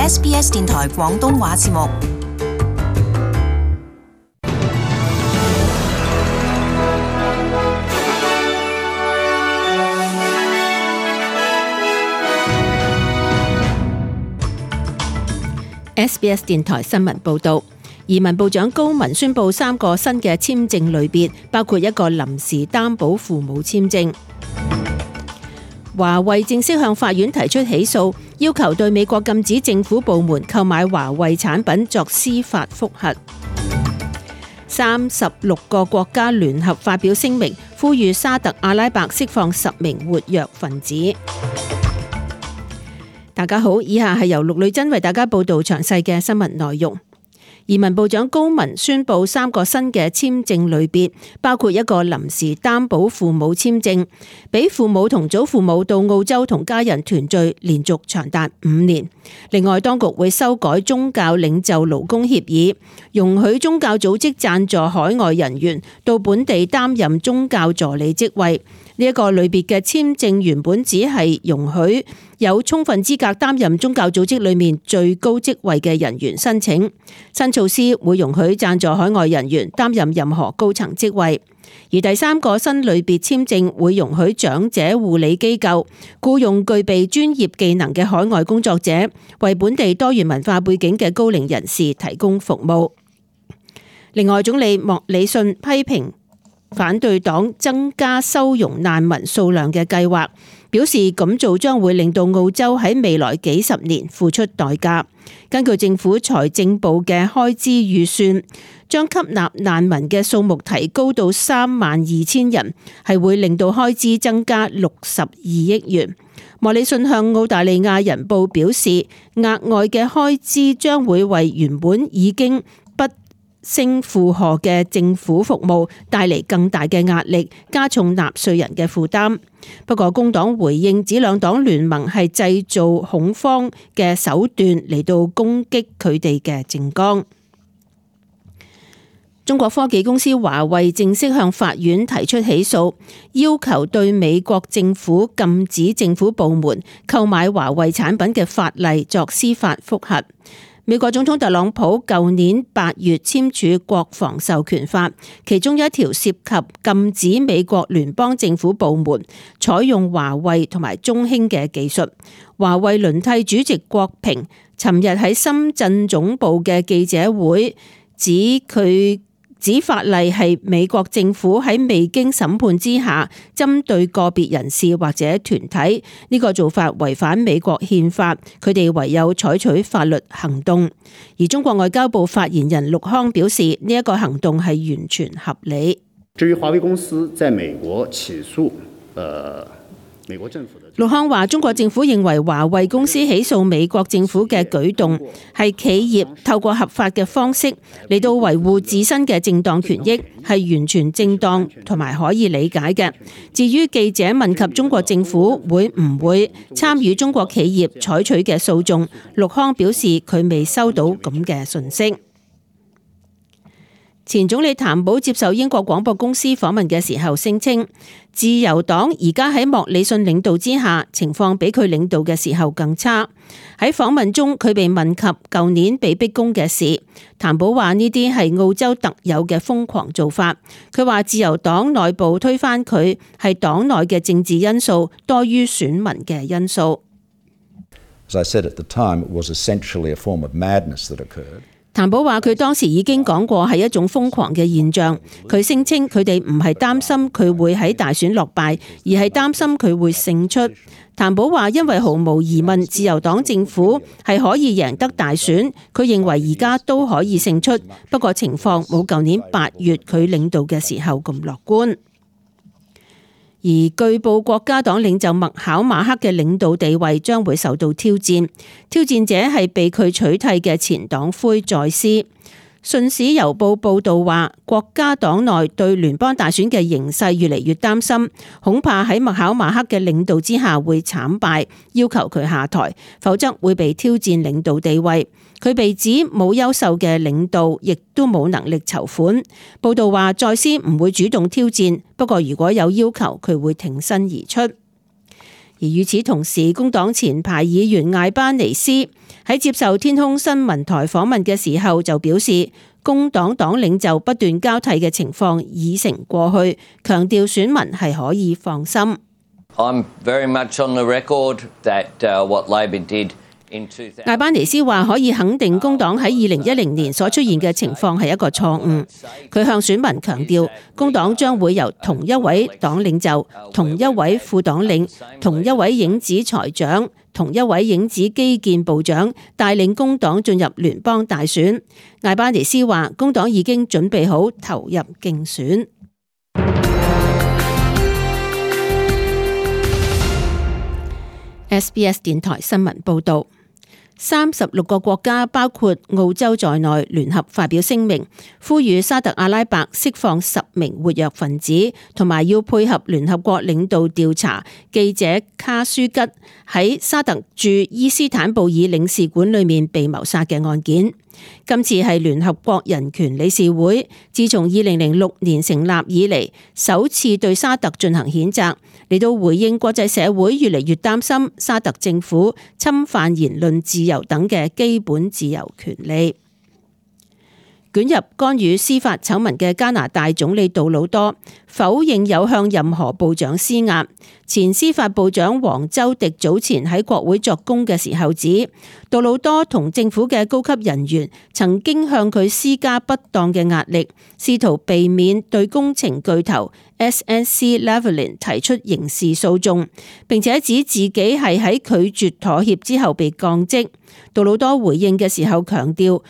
SBS 電台廣東話節目。SBS 電台新聞報道，移民部長高文宣布3個新嘅簽證類別，包括一個臨時擔保父母簽證。華為正式向法院提出起訴，要求對美國禁止政府部門購買華為產品作司法覆核。36個國家聯合發表聲明，呼籲沙特阿拉伯釋放10名活躍分子。大家好，以下係由陸女真為大家報道詳細嘅新聞內容。移民部長高文宣布3個新嘅簽證類別，包括一個臨時擔保父母簽證，俾父母同祖父母到澳洲同家人團聚，連續長達5年。另外，當局會修改宗教領袖勞工協議，容許宗教組織贊助海外人員到本地擔任宗教助理職位。呢一個類別嘅簽證原本只係容許有充分資格擔任宗教組織裏面最高職位嘅人員申請。新措施會容許贊助海外人員擔任任何高層職位。而第3個新類別簽證會容許長者護理機構僱用具備專業技能嘅海外工作者，為本地多元文化背景嘅高齡人士提供服務。另外，總理莫里遜批評反對黨增加收容難民數量嘅計劃，表示咁做將會令到澳洲喺未來幾十年付出代價。根據政府財政部嘅開支預算，將吸納難民嘅數目提高到32,000人，係會令到開支增加62億元。莫里遜向澳大利亞人報表示，額外嘅開支將會為原本已經不勝負荷嘅政府服務帶嚟更大嘅壓力，加重納稅人嘅負擔。不過工黨回應指兩黨聯盟係製造恐慌嘅手段嚟到攻擊佢哋嘅政綱。中國科技公司華為正式向法院提出起訴，要求對美國政府禁止政府部門購買華為產品嘅法例作司法覆核。美國總統特朗普舊年8月簽署國防授權法，其中一條涉及禁止美國聯邦政府部門採用華為同埋中興嘅技術。華為輪替主席郭平尋日喺深圳總部嘅記者會指法例係美國政府喺未經審判之下針對個別人士或者團體，呢個做法違反美國憲法，佢哋唯有採取法律行動。而中國外交部發言人陸康表示，呢一個行動係完全合理。至於華為公司在美國起訴美國政府的，陸康話中國政府認為華為公司起訴美國政府嘅舉動係企業透過合法嘅方式嚟到維護自身嘅正當權益，係完全正當同埋可以理解嘅。至於記者問及中國政府會唔會參與中國企業採取嘅訴訟，陸康表示佢未收到咁嘅訊息。前總理譚寶接受英國廣播公司訪問嘅時候聲稱，自由黨而家喺莫里遜領導之下，情況比佢領導嘅時候更差。喺訪問中，佢被問及舊年被逼宮嘅事，譚寶話呢啲係澳洲特有嘅瘋狂做法。佢話自由黨內部推翻佢係黨內嘅政治因素多於選民嘅因素。As I said at the time, it was essentially a form of madness that occurred. 譚寶話佢當時已經講過係一種瘋狂嘅現象，佢聲稱佢哋唔係擔心佢會喺大選落敗，而係擔心佢會勝出。譚寶話因為毫無疑問自由黨政府係可以贏得大選，佢認為而家都可以勝出，不過情況冇舊年8月佢領導嘅時候咁樂觀。而據報國家黨領袖麥考馬克嘅領導地位將會受到挑戰，挑戰者係被佢取替嘅前黨魁在斯。信使郵報報道話，國家黨內對聯邦大選嘅形勢越嚟越擔心，恐怕喺麥考馬克嘅領導之下會慘敗，要求佢下台，否則會被挑戰領導地位。佢被指冇優秀嘅領導，亦都冇能力籌款。報道話，在斯唔會主動挑戰，不過如果有要求，佢會挺身而出。而與此同時，工黨前排議員艾巴尼斯喺接受天空新聞台訪問嘅時候就表示，工黨黨領袖不斷交替嘅情況已成過去，強調選民係可以放心。I'm very much on the record that what Labor did in 2000。艾巴尼斯話可以肯定工黨喺2010年所出現嘅情況係一個錯誤。佢向選民強調，工黨將會由同一位黨領袖、同一位副黨領、同一位影子財長、同一位影子基建部長帶領工黨進入聯邦大選。艾巴尼斯話，工黨已經準備好投入競選。SBS 電台新聞報導，36個國家包括澳洲在內聯合發表聲明，呼籲沙特阿拉伯釋放10名活躍分子，同埋要配合聯合國領導調查記者卡舒吉喺沙特駐伊斯坦布爾領事館裏面被謀殺嘅案件。今次係聯合國人權理事會自從2006年成立以嚟首次對沙特進行譴責，嚟到回應國際社會越嚟越擔心沙特政府侵犯言論自由等嘅基本自由權利。捲入干預司法醜聞嘅加拿大總理杜魯多否認有向任何部長施壓。前司法部長黃州迪早前喺國會作供嘅時候指，杜魯多同政府嘅高級人員曾經向佢施加不當嘅壓力，試圖避免對工程巨頭 SNC-Lavalin 提出刑事訴訟，並且指自己係喺拒絕妥協之後被降職。杜魯多回應嘅時候強調，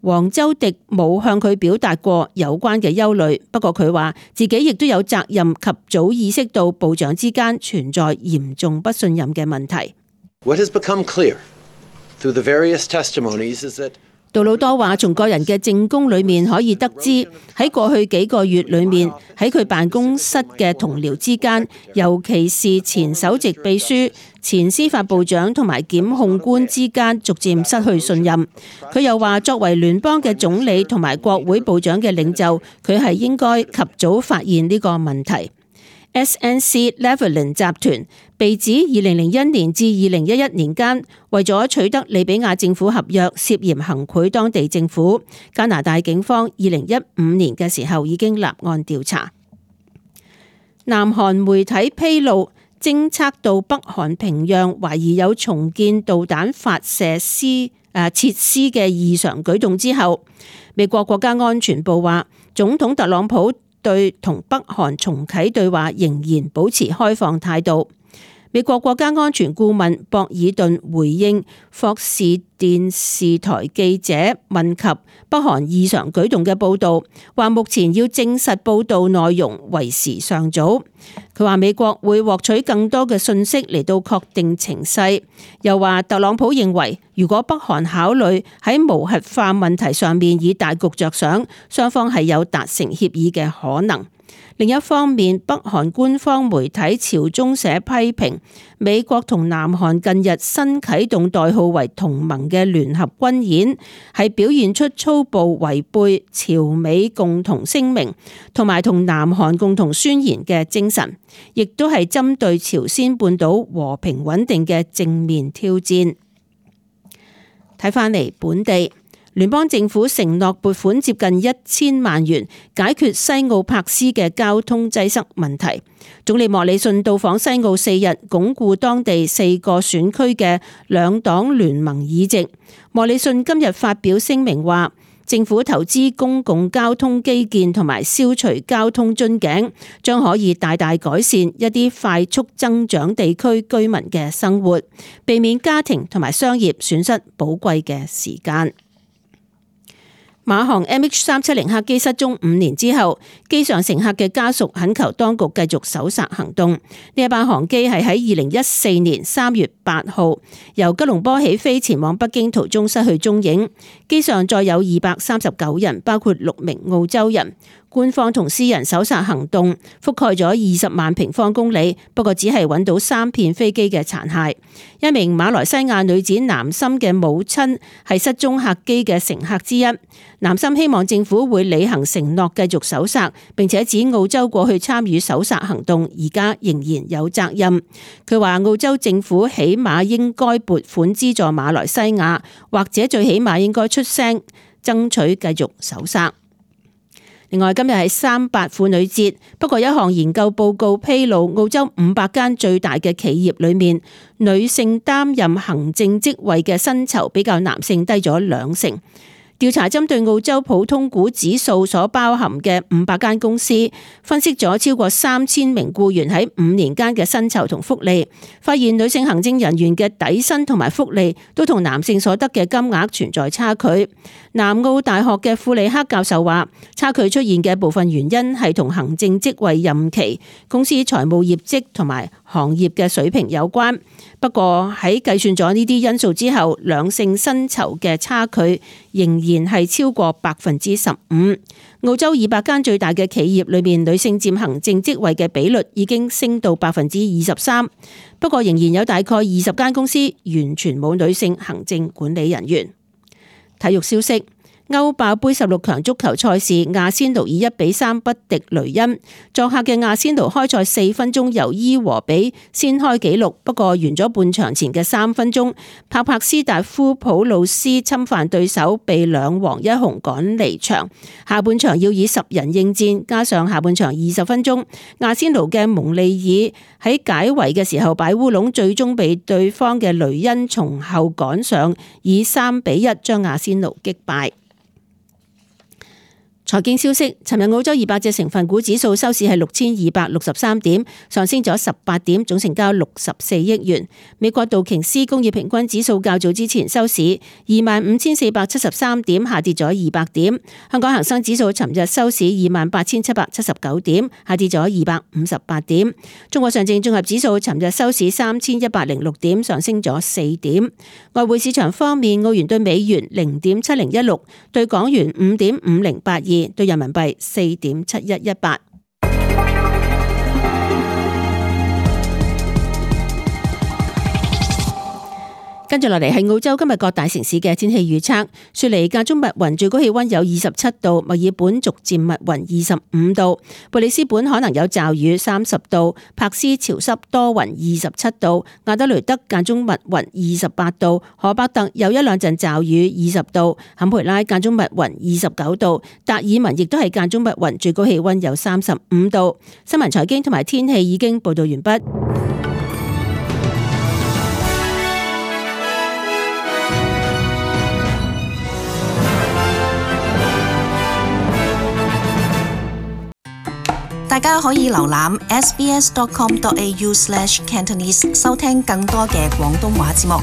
黃州迪冇向佢表達過有關嘅憂慮，不過佢話自己亦都有責任及早意識到部長之間存在嚴重不信任嘅問題。What has become clear through the various testimonies is that杜魯多話，從個人嘅證供裏面可以得知，喺過去幾個月裏面，喺佢辦公室嘅同僚之間，尤其是前首席秘書、前司法部長同埋檢控官之間，逐漸失去信任。佢又話，作為聯邦嘅總理同埋國會部長嘅領袖，佢係應該及早發現呢個問題。SNC-Lavalin 集團被指2001年至2011年間為咗取得利比亞政府合約，涉嫌行賄當地政府。加拿大警方2015年嘅時候已經立案調查。南韓媒體披露，偵測到北韓平壤懷疑有重建導彈發射設施嘅異常舉動之後，美國國家安全部話，總統特朗普對同北韓重啟對話仍然保持開放態度。美國國家安全顧問博爾頓回應霍士電視台記者問及北韓異常舉動嘅報導，話目前要證實報導內容為時尚早。佢話美國會獲取更多嘅信息嚟到確定情勢，又話特朗普認為如果北韓考慮喺無核化問題上面以大局着想，雙方係有達成協議嘅可能。另一方面，北韓官方媒體朝中社批評美國同南韓近日新啟動代號為同盟嘅聯合軍演，係表現出粗暴違背朝美共同聲明同埋同南韓共同宣言嘅精神，亦都係針對朝鮮半島和平穩定嘅正面挑戰。睇返嚟本地，聯邦政府承諾撥款接近1000萬元解決西澳柏斯嘅交通擠塞問題。總理莫里遜到訪西澳4日，鞏固當地4個選區嘅兩黨聯盟議席。莫里遜今日發表聲明話，政府投資公共交通基建同埋消除交通樽頸，將可以大大改善一啲快速增長地區居民嘅生活，避免家庭同埋商業損失寶貴嘅時間。馬航 MH370 客機失蹤5年之後，機上乘客嘅家屬懇求當局繼續搜查行動。呢一班航機係喺2014年3月8號由吉隆坡起飛前往北京途中失去蹤影，機上載有239人，包括6名澳洲人。官方同私人搜查行動覆蓋咗20萬平方公里，不過只係揾到3片飛機嘅殘骸。一名馬來西亞女子南森嘅母親係失蹤客機嘅乘客之一。南森希望政府會履行承諾，繼續搜索，並且指澳洲過去參與搜索行動，而家仍然有責任。佢話澳洲政府起碼應該撥款資助馬來西亞，或者最起碼應該出聲爭取繼續搜索。另外，今日係3·8婦女節，不過一項研究報告披露，澳洲500間最大嘅企業裏面，女性擔任行政職位嘅薪酬比較男性低咗2成。調查針對澳洲普通股指數所包含嘅500間公司，分析咗超過3000名僱員喺5年間嘅薪酬同福利，發現女性行政人員嘅底薪同埋福利都同男性所得嘅金額存在差距。南澳大學嘅庫里克教授話，差距出現嘅部分原因係同行政職位任期、公司財務業績同埋行業嘅水平有關。不過喺計算咗呢啲因素之後，兩性薪酬嘅差距仍然係超過15%。澳洲200間最大嘅企業裏面，女性佔行政職位嘅比率已經升到23%。不過仍然有大概20間公司完全冇女性行政管理人員。體育消息。歐霸盃16強足球賽事，阿仙奴以1-3不敵雷恩。作客嘅阿仙奴開賽4分鐘由伊和比先開紀錄，不過完咗半場前嘅3分鐘，帕斯達夫普魯斯侵犯對手，被2黃1紅趕離場。下半場要以10人應戰，加上下半場20分鐘，阿仙奴嘅蒙利爾喺解圍嘅時候擺烏龍，最終被對方嘅雷恩從後趕上，以3-1將阿仙奴擊敗。財經消息，尋日澳洲200隻成分股指數收市係6263點，上升咗18點，總成交64億元。美國道瓊斯工業平均指數較早之前收市25,473點，下跌咗200點。香港恒生指數尋日收市28,779點，下跌咗258點。中國上證綜合指數尋日收市3106點，上升咗4點。外匯市場方面，澳元對美元0.7016，對港元5.5082。對人民幣4.7118。跟住落嚟係澳洲今日各大城市嘅天氣預測。雪梨間中密雲，最高氣溫有27度；墨爾本逐漸密雲25度；貝里斯本可能有驟雨30度；柏斯潮濕多雲27度；亞德雷德間中密雲28度；荷伯特有1-2陣驟雨20度；坎培拉間中密雲29度；達爾文亦都係間中密雲，最高氣溫有35度。新聞財經同埋天氣已經報道完畢。大家可以瀏覽 sbs.com.au/cantonese 收聽更多嘅廣東話節目。